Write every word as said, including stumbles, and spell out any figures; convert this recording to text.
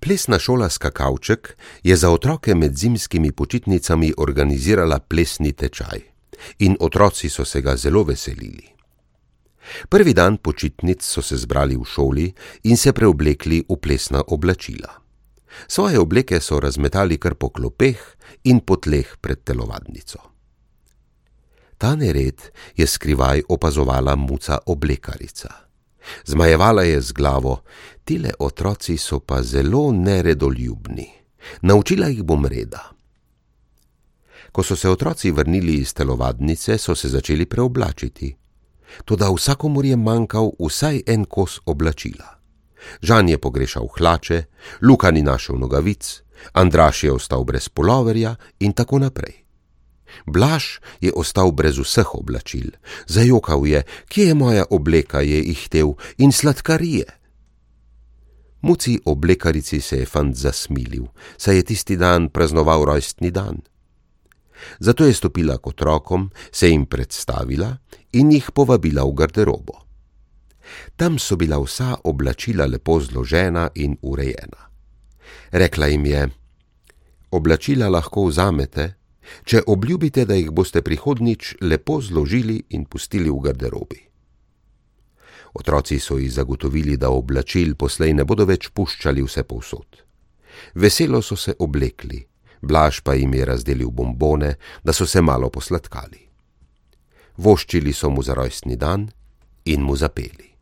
Plesna šola Skakavček je za otroke med zimskimi počitnicami organizirala plesni tečaj in otroci so se ga zelo veselili. Prvi dan počitnic so se zbrali v šoli in se preoblekli v plesna oblačila. Svoje obleke so razmetali kar po klopeh in po tleh pred telovadnico. Ta nered je skrivaj opazovala Muca oblekarica. Zmajevala je z glavo: tile otroci so pa zelo neredoljubni. Naučila jih bom reda. Ko so se otroci vrnili iz telovadnice, so se začeli preoblačiti. Toda vsakomur je manjkal vsaj en kos oblačila. Žan je pogrešal hlače, Luka ni našel nogavic, Andraž je ostal brez puloverja in tako naprej. Blaž je ostal brez vseh oblačil. Zajokal je: kje je moja obleka, je ihtel, in sladkarije. Muci oblekarici se je fant zasmilil, saj je tisti dan praznoval rojstni dan. Zato je stopila k otrokom, se jim predstavila in jih povabila v garderobo. Tam so bila vsa oblačila lepo zložena in urejena. Rekla jim je: oblačila lahko vzamete, če obljubite, da jih boste prihodnjič lepo zložili in pustili v garderobi. Otroci so ji zagotovili, da oblačil poslej ne bodo več puščali vse povsod. Veselo so se oblekli, Blaž pa jim je razdelil bombone, da so se malo posladkali. Voščili so mu za rojstni dan in mu zapeli.